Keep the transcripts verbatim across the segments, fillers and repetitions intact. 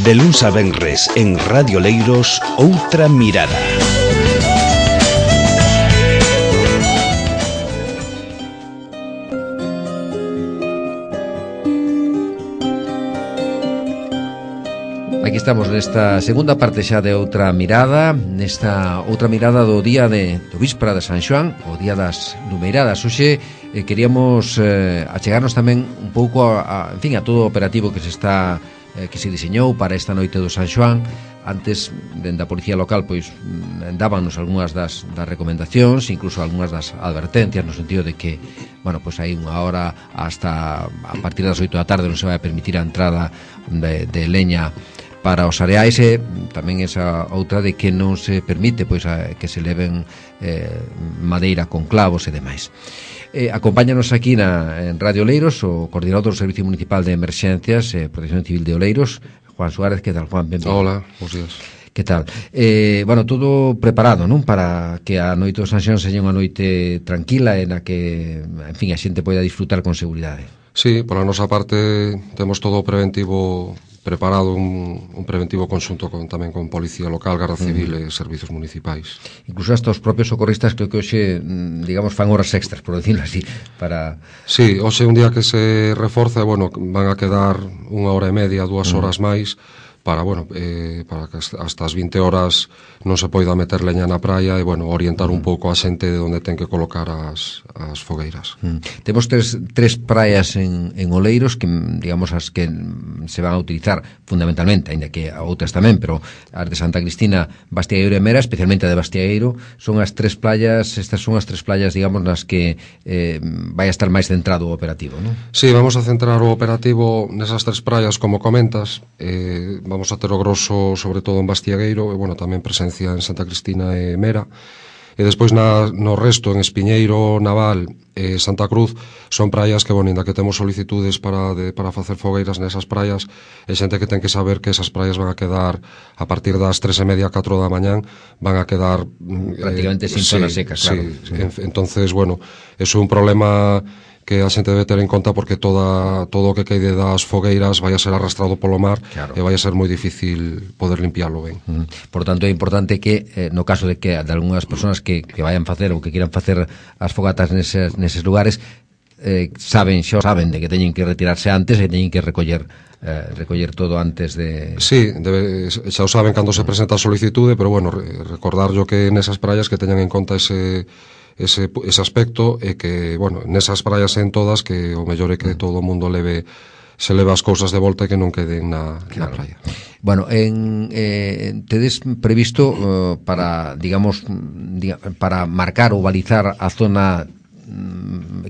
De luns a venres en Radio Leiros, Outra Mirada. Aquí estamos nesta segunda parte xa de Outra Mirada, nesta outra mirada do día de, do víspera de San Xoán, o día das numeiradas. Hoxe eh, queríamos eh, achegarnos tamén un pouco a, a, en fin, a todo o operativo que se está eh, que se diseñou para esta noite do San Xoán. Antes, dende a Policía Local, pois dábanos algunhas das, das recomendacións, incluso algunhas das advertencias, no sentido de que, bueno, pois hai unha hora hasta a partir das oito da tarde non se vai a permitir a entrada de, de leña para os areais, e tamén esa outra de que non se permite pois a, que se leven eh, madeira con clavos e demais. Eh, acompáñanos aquí na, en Radio Oleiros o coordinador do Servicio Municipal de Emerxencias e eh, Protección Civil de Oleiros, Juan Suárez. Que tal, Juan? Benvido. Hola, bons días. Que tal? Eh, bueno, todo preparado, non? Para que a noite do San Xoán seña unha noite tranquila e na que, en fin, a xente poida disfrutar con seguridade. Sí, pola nosa parte temos todo o preventivo preparado, un, un preventivo conxunto con, tamén con Policía Local, Garda Civil uh-huh. e Servizos Municipais. Incluso hasta os propios socorristas creo que hoxe, digamos, fan horas extras, por decirlo así, para... Sí, hoxe un día que se reforza, bueno, van a quedar unha hora e media, dúas uh-huh. horas máis, para, bueno, eh, para que hasta as vinte horas non se poida meter leña na praia e, bueno, orientar un pouco a xente de onde ten que colocar as, as fogueiras. Mm. Temos tres, tres praias en, en Oleiros que, digamos, as que se van a utilizar fundamentalmente, ainda que outras tamén, pero as de Santa Cristina, Bastiagueiro e Mera, especialmente a de Bastiagueiro, son as tres playas, estas son as tres playas, digamos, nas que eh, vai a estar máis centrado o operativo, non? Sí, vamos a centrar o operativo nesas tres praias, como comentas. eh, vamos a ter o grosso sobre todo en Bastiagueiro e, bueno, tamén presencia en Santa Cristina e Mera, e despois na, no resto, en Espiñeiro, Naval e Santa Cruz, son praias que, bueno, ainda que temos solicitudes para, de, para facer fogueiras nesas praias, e xente que ten que saber que esas praias van a quedar a partir das tres e media, catro da mañán, van a quedar prácticamente eh, sin zonas sí, secas, claro. Sí, en, entonces, bueno, eso é un problema que a xente debe ter en conta, porque toda, todo o que queide das fogueiras vai a ser arrastrado polo mar, claro. E vai a ser moi difícil poder limpiarlo ben. Mm. Por tanto, é importante que, eh, no caso de que de algunhas persoas que, que vayan facer ou que quieran facer as fogatas neses, neses lugares, eh, saben, xa saben de que teñen que retirarse antes e teñen que recoller eh, recoller todo antes de... Sí, debe, xa o saben cando se presenta a solicitude, pero, bueno, recordarlo que nesas praias que teñan en conta ese... Ese, ese aspecto, e que, bueno, nesas praias en todas, que o mellor é que todo o mundo leve, se leve as cousas de volta e que non queden na, claro. na praia. Bueno, en, eh, tedes previsto uh, para, digamos, diga, para marcar ou balizar a zona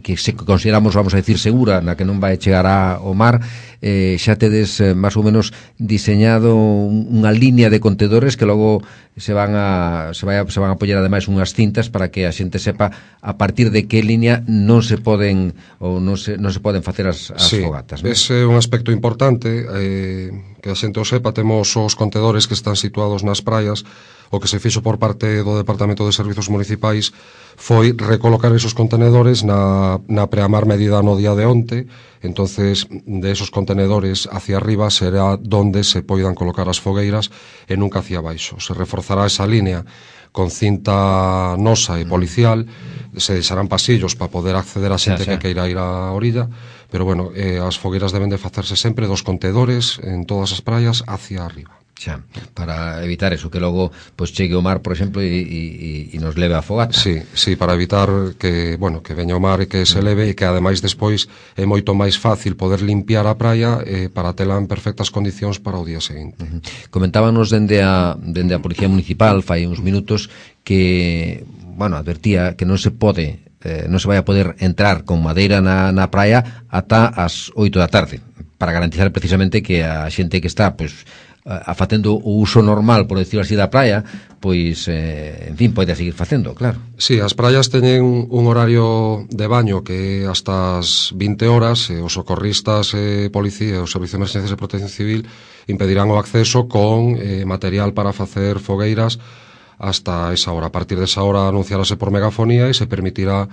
que se consideramos, vamos a decir, segura, na que non vai chegar ao mar, eh, xa tedes eh, máis ou menos diseñado unha línea de contedores que logo se van a se, vai a, se van a apoiar ademais unhas cintas para que a xente sepa a partir de que línea non se poden ou non se, non se poden facer as, as sí, fogatas, non? Ese é un aspecto importante, eh, que a xente o sepa. Temos os contedores que están situados nas praias. O que se fixo por parte do Departamento de Servizos Municipais foi recolocar esos contenedores na, na preamar medida no día de onte. Entonces, de esos contenedores hacia arriba será donde se poidan colocar as fogueiras e nunca hacia baixo. Se reforzará esa línea con cinta nosa e policial, se deixarán pasillos para poder acceder a xente xa, xa. que queira ir á orilla, pero, bueno, eh, as fogueiras deben de facerse sempre dos contedores en todas as praias hacia arriba. Xa, para evitar eso, que logo pois chegue o mar, por exemplo, e, e, e nos leve a fogata. Sí, sí, para evitar que, bueno, que veña o mar e que se leve, e que ademais despois é moito máis fácil poder limpiar a praia eh, para tela en perfectas condicións para o día seguinte. Uh-huh. Comentábanos dende a, dende a Policía Municipal fai uns minutos que, bueno, advertía que non se pode eh, non se vai a poder entrar con madeira na, na praia ata as oito da tarde, para garantizar precisamente que a xente que está, pois, a facendo o uso normal, por decirlo así, da praia, pois, eh, en fin, pode seguir facendo, claro. Sí, as praias teñen un horario de baño que hasta as vinte horas, e os socorristas, e policía, o Servicio de Emerxencias e Protección Civil impedirán o acceso con eh, material para facer fogueiras hasta esa hora. A partir desa hora anunciarase por megafonía e se permitirá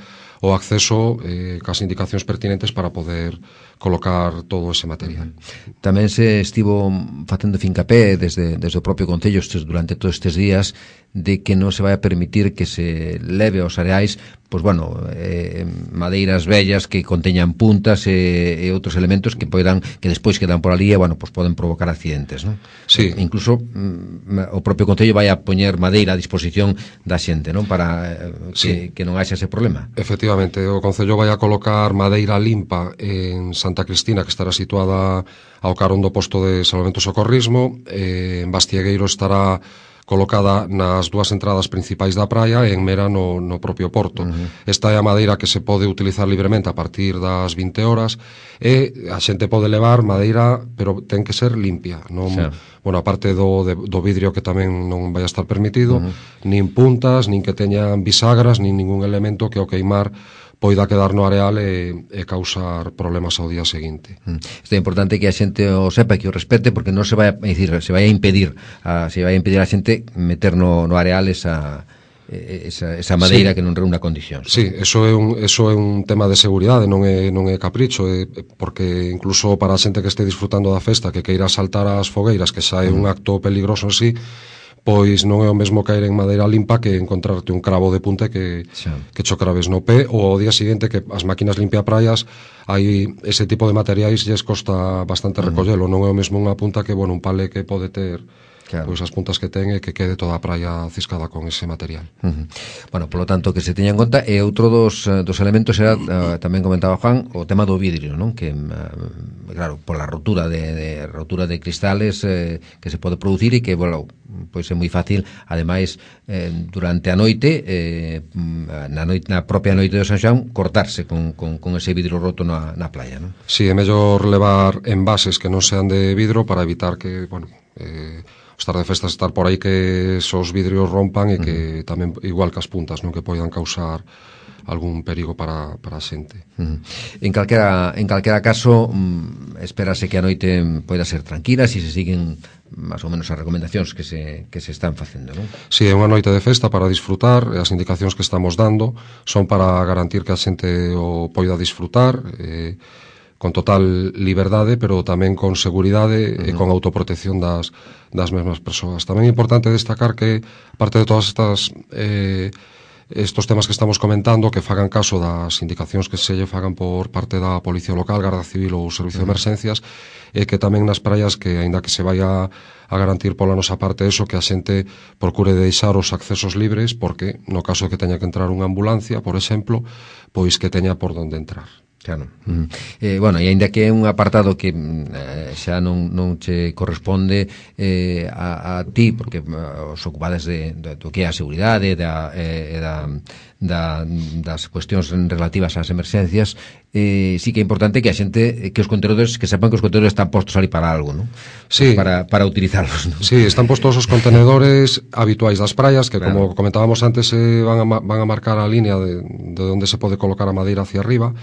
o acceso eh, cas indicacións pertinentes para poder colocar todo ese material. Tamén se estivo facendo fincapé desde, desde o propio Concello durante todos estes días de que non se vai a permitir que se leve aos areais pois bueno, eh, madeiras vellas que conteñan puntas e, e outros elementos que poidan, que despois quedan por ali e bueno, pois poden provocar accidentes, non? Sí. E, incluso mm, o propio Concello vai a poñer madeira a disposición da xente, non? Para eh, que, sí. que non haxa ese problema. Efectivamente, o Concello vai a colocar madeira limpa en Santa Cristina, que estará situada ao carón do posto de salvamento e socorrismo. eh, en Bastiegueiro estará colocada nas dúas entradas principais da praia e en Mera no, no propio porto. Uh-huh. Esta é a madeira que se pode utilizar libremente a partir das vinte horas e a xente pode levar madeira, pero ten que ser limpia, non, sí. Bueno, aparte do, de, do vidrio que tamén non vai a estar permitido, uh-huh. nin puntas, nin que teñan bisagras, nin ningún elemento que ao queimar poida quedar no areal e, e causar problemas ao día seguinte. Mm. Isto é importante que a xente o sepa, que o respete, porque non se vai a, decir, se vai a impedir a, se vai a impedir a xente meter no, no areal esa, esa, esa madeira sí. que non reúna condicións. Sí, eso é un, eso é un tema de seguridade, non é, non é capricho, é, porque incluso para a xente que este disfrutando da festa, que queira saltar as fogueiras, que xa é mm. un acto peligroso en sí, pois non é o mesmo caer en madeira limpa que encontrarte un cravo de punta que, que cho craves no pé, ou ao día seguinte que as máquinas limpia praias, hai ese tipo de materiais lles costa bastante uh-huh. recollelo, non é o mesmo unha punta que, bueno, un pale que pode ter claro. Pois as puntas que ten e que quede toda a praia ciscada con ese material. Uh-huh. Bueno, polo tanto, que se teña en conta, e outro dos, dos elementos era, uh, tamén comentaba Juan, o tema do vidrio, non? Que, uh, claro, pola rotura de, de rotura de cristales eh, que se pode producir e que, bueno, pois é moi fácil, ademais, eh, durante a noite, eh, na, noite, na propia noite de San Xoán, cortarse con, con, con ese vidro roto na, na playa, non? Si, sí, é mellor levar envases que non sean de vidro para evitar que, bueno, eh, estar de festas, estar por aí que esos vidrios rompan e que uh-huh. tamén, igual que as puntas, non, que poidan causar algún perigo para, para a xente. Uh-huh. En calquera, en calquera caso, mm, espérase que a noite poida ser tranquila se si se siguen máis ou menos as recomendacións que se, que se están facendo, non? Si, sí, é unha noite de festa para disfrutar, e as indicacións que estamos dando son para garantir que a xente o poida disfrutar, eh, con total liberdade, pero tamén con seguridade uh-huh. e con autoprotección das, das mesmas persoas. Tamén é importante destacar que, aparte de todas estas eh, estos temas que estamos comentando, que fagan caso das indicacións que se lle fagan por parte da Policía Local, Garda Civil ou Servicio uh-huh. de Emerxencias, e que tamén nas praias, que aínda que se vai a, a garantir pola nosa parte eso, que a xente procure deixar os accesos libres, porque no caso de que teña que entrar unha ambulancia, por exemplo, pois que teña por onde entrar. Claro. Uh-huh. Eh, bueno, e aínda que é un apartado que eh, xa non, non che corresponde eh, a, a ti, porque uh, os ocupades de, de, do que é a seguridade da, eh, da, da, das cuestións relativas ás emerxencias, eh, sí que é importante que a xente, que os contenedores, que sepan que os contenedores están postos ali para algo, non? Sí. Para, para utilizarlos, non? Sí, están postos os contenedores habituais das praias, que claro. Como comentábamos antes, eh, van, a, van a marcar a línea de, de onde se pode colocar a madeira hacia arriba,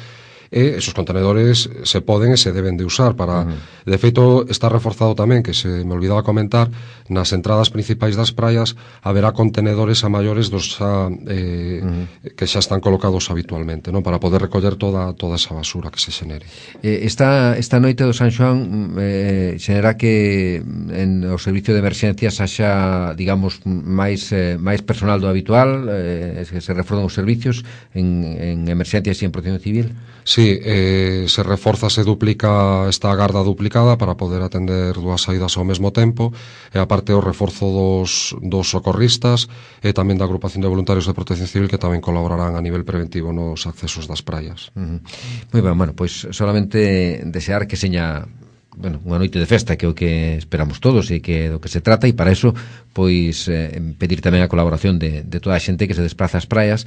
e esos contenedores se poden e se deben de usar para, uh-huh. de feito está reforzado tamén, que se me olvidaba comentar, nas entradas principais das praias haberá contenedores a maiores dos xa, eh, uh-huh. que xa están colocados habitualmente, non, para poder recoller toda toda esa basura que se xenere. Eh, esta, esta noite do San Xoán eh, xenera que en o servicio de emerxencias haxa, digamos, máis, eh, máis personal do habitual, eh, que se reforzan os servicios en, en emerxencias e en protección civil? Sí, eh, se reforza, se duplica esta garda duplicada para poder atender dúas saídas ao mesmo tempo, e aparte o reforzo dos, dos socorristas e tamén da agrupación de voluntarios de protección civil, que tamén colaborarán a nivel preventivo nos accesos das praias. Uh-huh. Moi ben, bueno, pois solamente desear que seña, bueno, unha noite de festa, que é o que esperamos todos e que é do que se trata, e para eso pois eh, pedir tamén a colaboración de, de toda a xente que se desplaza ás praias.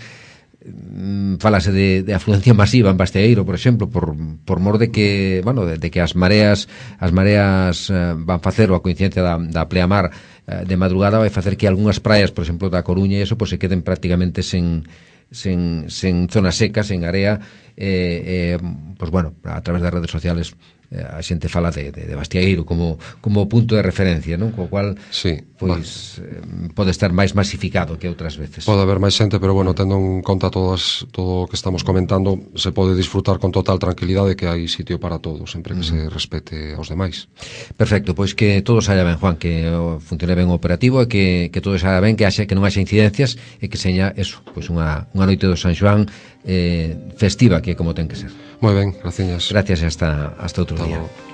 Falase de, de afluencia masiva en Basteeiro, por exemplo, por, por mor de que, bueno, de, de que as mareas as mareas eh, van facer, ou a coincidencia da, da pleamar eh, de madrugada vai facer que algunhas praias, por exemplo, da Coruña e eso, pues, se queden prácticamente sen sen, sen zonas secas, sen area, eh, eh, pues bueno, a través das redes sociales a xente fala de, de, de Bastiagueiro como, como punto de referencia, non? Co cual, sí, pois, eh, pode estar máis masificado que outras veces. Pode haber máis xente, pero bueno, tendo en conta todas, todo o que estamos comentando, se pode disfrutar con total tranquilidade que hai sitio para todos, sempre que mm. se respete aos demais. Perfecto, pois que todo saia ben, Juan, que funcione ben o operativo e que, que todo saia ben, que haxe, que non haxe incidencias e que seña eso, pois unha, unha noite do San Xoán eh, festiva, que é como ten que ser. Moi ben, gracias. Gracias e hasta, hasta outro hasta día. Luego.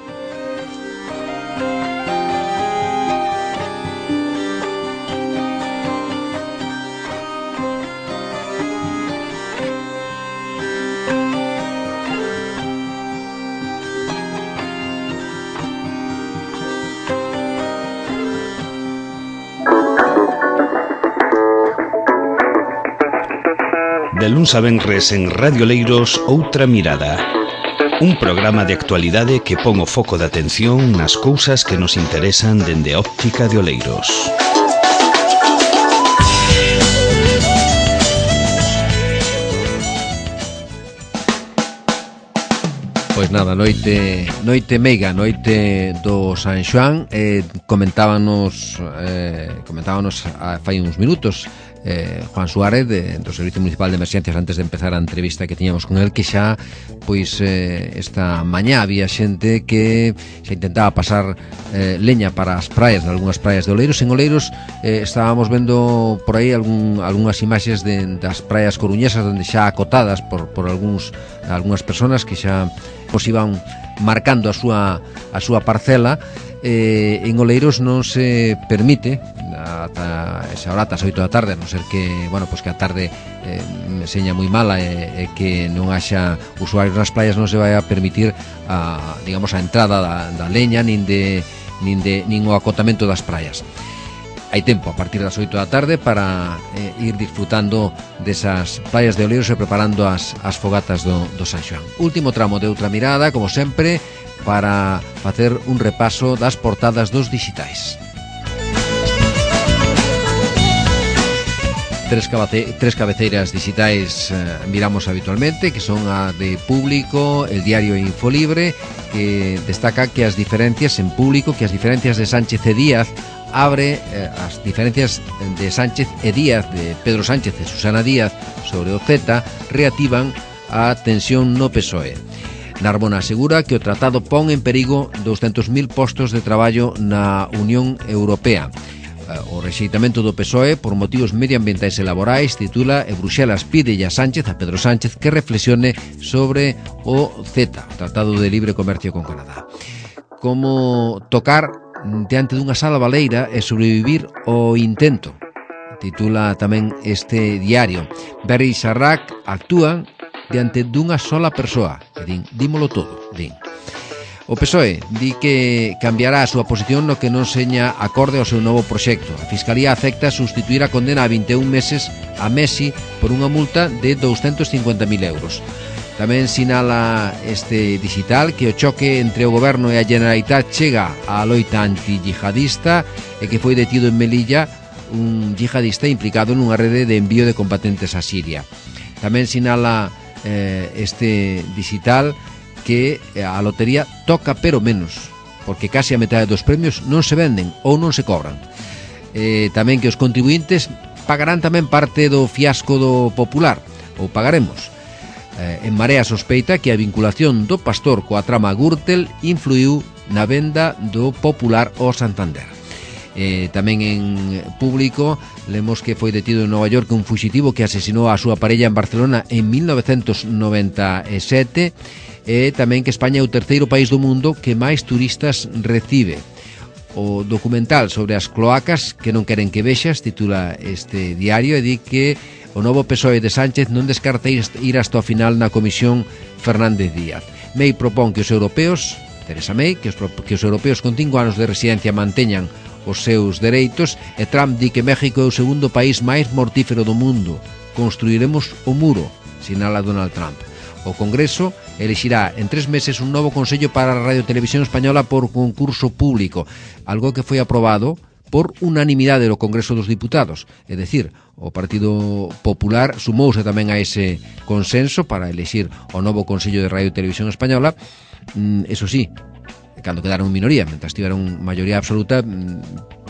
De luns a venres en Radio Leiros, Outra Mirada. Un programa de actualidade que pon o foco de atención nas cousas que nos interesan dende a óptica de Oleiros. Pois nada, noite noite meiga, noite do San Xoán, eh, comentábanos eh, comentábanos a, fai uns minutos eh, Juan Suárez de, do Servicio Municipal de Emerxencias antes de empezar a entrevista que tiñamos con el, que xa pois eh, esta mañá había xente que xa intentaba pasar eh, leña para as praias, de algunhas praias de Oleiros. En Oleiros eh, estábamos vendo por aí algún, algunhas imaxes de, das praias coruñesas onde xa acotadas por, por algúns, algunhas personas que xa pois iban marcando a súa, a súa parcela. Eh, en Oleiros non se permite ata esa hora, ata as oito da tarde, a non ser que, bueno, pois que a tarde eh, seña moi mala e, e que non haxa usuarios nas praias, non se vai a permitir a, digamos, a entrada da, da leña nin de, nin de nin o acotamento das praias. Hai tempo a partir das oito da tarde para eh, ir disfrutando desas praias de Oleiros e preparando as, as fogatas do, do San Xoán. Último tramo de Outra Mirada, como sempre, para facer un repaso das portadas dos dixitais. Tres, cabace, tres cabeceiras digitais eh, miramos habitualmente, que son a de Público, el diario Infolibre, que destaca que as diferencias en Público, que as diferencias de Sánchez e Díaz abre eh, as diferencias de Sánchez e Díaz, de Pedro Sánchez e Susana Díaz sobre o Z, reactivan a tensión no P S O E. Narbona asegura que o tratado pon en perigo douscentos mil postos de traballo na Unión Europea. O rexeitamento do P S O E por motivos medioambientais e laborais titula e Bruxelas pídelle a Sánchez, a Pedro Sánchez, que reflexione sobre o Z, o Tratado de Libre Comercio con Canadá. Como tocar diante dunha sala baleira e sobrevivir ao intento, titula tamén este diario. Berri e Sarrac actúan diante dunha sola persoa e din, dímolo todo, din. O P S O E di que cambiará a súa posición no que non seña acorde ao seu novo proxecto. A Fiscalía acepta sustituir a condena a vinte e un meses a Messi por unha multa de douscentos cincuenta mil euros. Tamén sinala este digital que o choque entre o Goberno e a Generalitat chega á loita anti-yihadista e que foi detido en Melilla un yihadista implicado nunha rede de envío de combatentes a Siria. Tamén sinala eh, este digital que a lotería toca pero menos, porque case a metade dos premios non se venden ou non se cobran. Eh, tamén que os contribuintes pagarán tamén parte do fiasco do Popular, ou pagaremos. Eh, en Marea sospeita que a vinculación do Pastor coa trama Gürtel influiu na venda do Popular ao Santander. Eh, tamén en Público lemos que foi detido en Nova York un fuxitivo que asesinou a súa parella en Barcelona en mil novecentos noventa e sete e tamén que España é o terceiro país do mundo que máis turistas recibe. O documental sobre as cloacas que non queren que vexas titula este diario e di que o novo P S O E de Sánchez non descarta ir hasta o final na Comisión Fernández Díaz. May propón que os europeos, Teresa May, que os, que os europeos con cinco anos de residencia manteñan os seus dereitos e Trump di que México é o segundo país máis mortífero do mundo. Construiremos o muro, sinala Donald Trump. O Congreso elixirá en tres meses un novo Consello para a Radio Televisión Española por concurso público, algo que foi aprobado por unanimidade do Congreso dos Diputados. É dicir, o Partido Popular sumouse tamén a ese consenso para elexir o novo Consello de Radio e Televisión Española. Eso sí, cando quedaron en minoría, mentras tiveron maioría absoluta,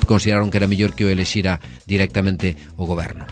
consideraron que era mellor que o elexira directamente o goberno.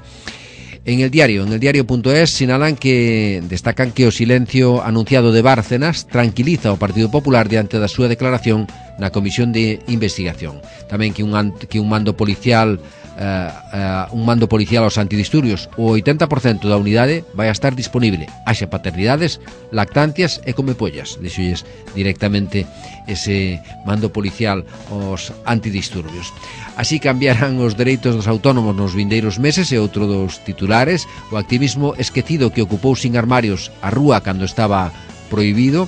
En el diario, en el diario.es sinalan que destacan que o silencio anunciado de Bárcenas tranquiliza o Partido Popular diante da súa declaración na Comisión de Investigación. Tamén que un, que un mando policial uh, uh, un mando policial aos antidisturbios, o oitenta por cento da unidade vai a estar disponible, haxa paternidades, lactancias e comepollas. Dixolles directamente ese mando policial aos antidisturbios. Así cambiarán os dereitos dos autónomos nos vindeiros meses, e outro dos titulares, o activismo esquecido que ocupou sin armarios a rúa cando estaba prohibido.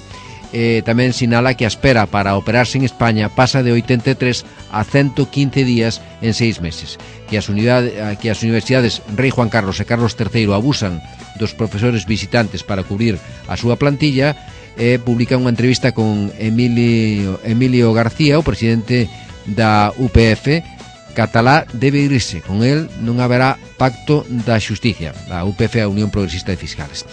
Eh, tamén sinala que a espera para operarse en España pasa de oitenta e tres a ciento quince días en seis meses, que as, unidade, que as universidades Rei Juan Carlos e Carlos terceiro abusan dos profesores visitantes para cubrir a súa plantilla. E publica unha entrevista con Emilio, Emilio García, o presidente da U P F. Catalá debe irse, con el non haberá pacto da xusticia. A U P F é a Unión Progresista de Fiscales.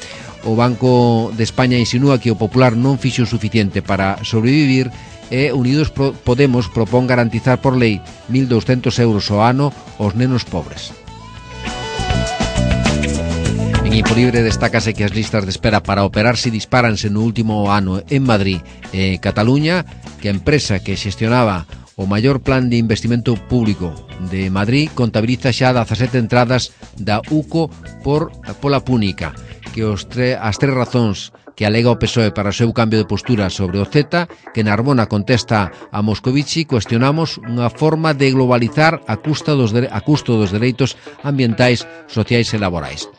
O Banco de España insinúa que o Popular non fixo o suficiente para sobrevivir, e Unidos Podemos propón garantizar por lei mil douscentos euros ao ano aos nenos pobres. En Infolibre destácase que as listas de espera para operarse dispáranse no último ano en Madrid e Cataluña, que a empresa que xestionaba o maior plan de investimento público de Madrid contabiliza xa dezasete entradas da U C O por pola púnica, que os tre, as tres razóns que alega o P S O E para o seu cambio de postura sobre o Z, que Narbona contesta a Moscovici, cuestionamos unha forma de globalizar a custo dos, a custo dos dereitos ambientais, sociais e laborais.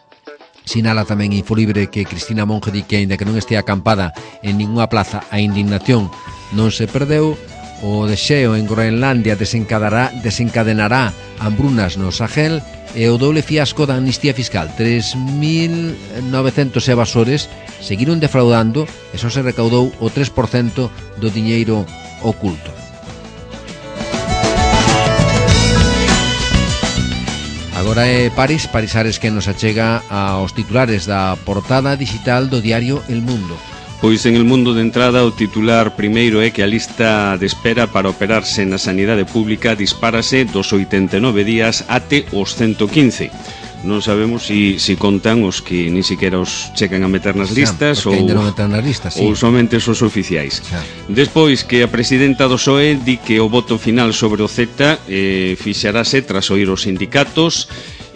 Sinala tamén Infolibre que Cristina Monge di que, aínda que non estea acampada en ninguna plaza, a indignación non se perdeu. O deseo en Groenlandia desencadenará, desencadenará hambrunas no Sahel, e o doble fiasco da amnistía fiscal. tres mil novecentos evasores seguiron defraudando e só se recaudou o tres por cento do diñeiro oculto. Agora é París, Parisares, que nos achega aos titulares da portada digital do diario El Mundo. Pois en El Mundo de entrada o titular primeiro é que a lista de espera para operarse na sanidade pública dispárase dos oitenta e nove días até os ciento quince. Non sabemos se si, si contan os que ni siquiera os checan a meter nas listas, ou, ou, nas listas, sí. ou somente os oficiais. Xa. Despois que a presidenta do P S O E di que o voto final sobre o Z eh, fixarase tras oír os sindicatos.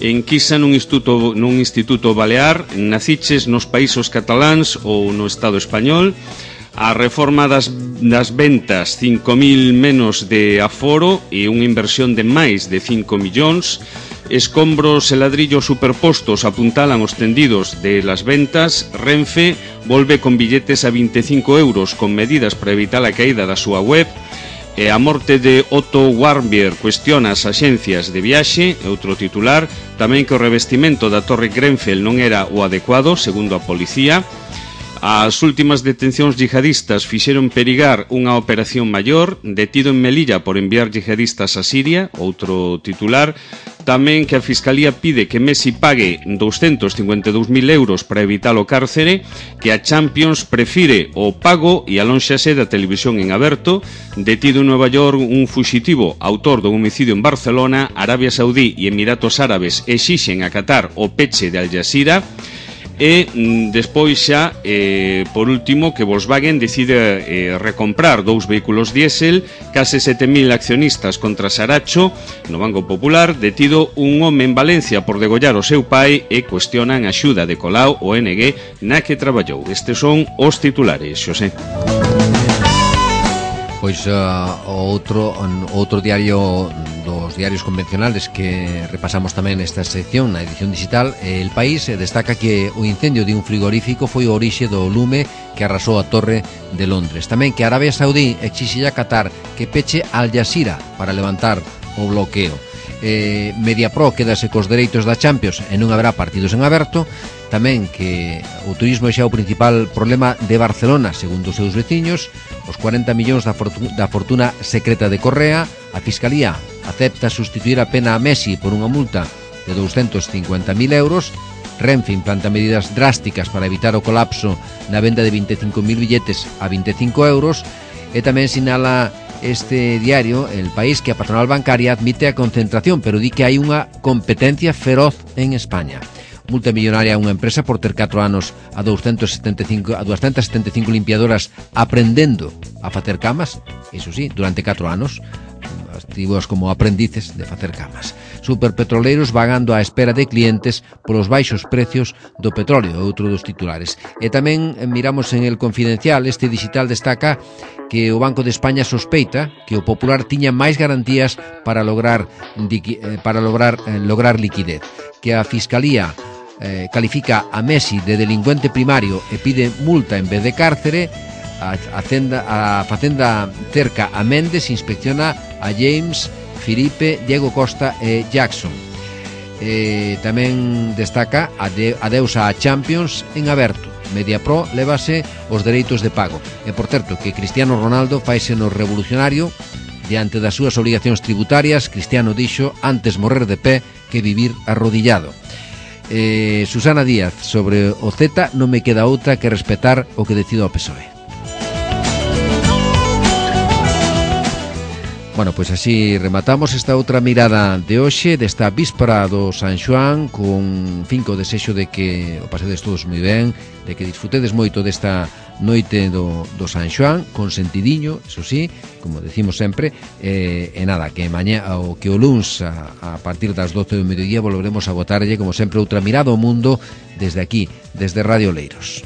Enquisa nun instituto, nun instituto balear, naciches nos países cataláns ou no Estado español. A reforma das, das ventas, cinco mil menos de aforo e unha inversión de máis de cinco millóns. Escombros e ladrillos superpostos apuntalan os tendidos de las ventas. Renfe volve con billetes a veinticinco euros con medidas para evitar a caída da súa web. E a morte de Otto Warmbier cuestiona as axencias de viaxe, outro titular. Tamén que o revestimento da Torre Grenfell non era o adecuado, segundo a policía. As últimas detencións yihadistas fixeron perigar unha operación maior. Detido en Melilla por enviar yihadistas a Siria, outro titular. Tamén que a Fiscalía pide que Messi pague doscientos cincuenta e dous mil euros para evitar o cárcere, que a Champions prefire o pago e alónxase da televisión en aberto. Detido en Nova York un fuxitivo autor do homicidio en Barcelona. Arabia Saudí e Emiratos Árabes exixen a Qatar o peche de Al Jazeera. E despois xa, eh, por último, que Volkswagen decide eh, recomprar dous vehículos diésel, case sete mil accionistas contra Saracho no Banco Popular. Detido un home en Valencia por degollar o seu pai e cuestionan a axuda de Colau o N G na que traballou. Estes son os titulares, Xosé. Pois uh, outro, outro diario dos diarios convencionales que repasamos tamén nesta sección, na edición digital, El País destaca que o incendio de un frigorífico foi o orixe do lume que arrasou a Torre de Londres. Tamén que Arabia Saudí exixe a Qatar que peche Al Jazeera para levantar o bloqueo. Eh, Mediapro quedase cos dereitos da Champions e non haberá partidos en aberto. Tamén que o turismo é xa o principal problema de Barcelona, segundo os seus veciños. Os cuarenta millóns da fortuna, da fortuna secreta de Correa. A Fiscalía acepta sustituir a pena a Messi por unha multa de douscentos cincuenta mil euros. Renfe implanta medidas drásticas para evitar o colapso na venda de vinte e cinco mil billetes a vinte e cinco euros. E tamén sinala este diario, El País, que a patronal bancaria admite a concentración, pero di que hai unha competencia feroz en España. Multa millonaria a unha empresa por ter catro anos a doscientas setenta e cinco, a doscientas setenta e cinco limpiadoras aprendendo a facer camas, iso sí, durante catro anos, activos como aprendices de facer camas. Superpetroleiros vagando á espera de clientes polos baixos precios do petróleo, outro dos titulares. E tamén miramos en El Confidencial, este digital destaca que o Banco de España sospeita que o Popular tiña máis garantías para lograr para lograr lograr liquidez, que a Fiscalía eh, califica a Messi de delincuente primario e pide multa en vez de cárcere. A, Facenda, a Facenda cerca a Méndez, inspecciona a James, Filipe, Diego Costa e Jackson. E tamén destaca a de, adeus a Champions en aberto. Mediapro lévase os dereitos de pago. E por certo que Cristiano Ronaldo faise no revolucionario diante das súas obrigacións tributarias. Cristiano dixo antes morrer de pé que vivir arrodillado. Eh, Susana Díaz, sobre o Z non me queda outra que respetar o que decido o P S O E. Bueno, pois pues así rematamos esta outra mirada de hoxe, desta víspera do San Xoán, con finco desexo de que o pasedes todos moi ben, de que disfrutedes moito desta noite do, do San Xoán, con sentidiño, eso sí, como decimos sempre, eh, e nada, que mañá, o que o luns a, a partir das doce do mediodía volveremos a botarlle, como sempre, outra mirada ao mundo desde aquí, desde Radio Leiros.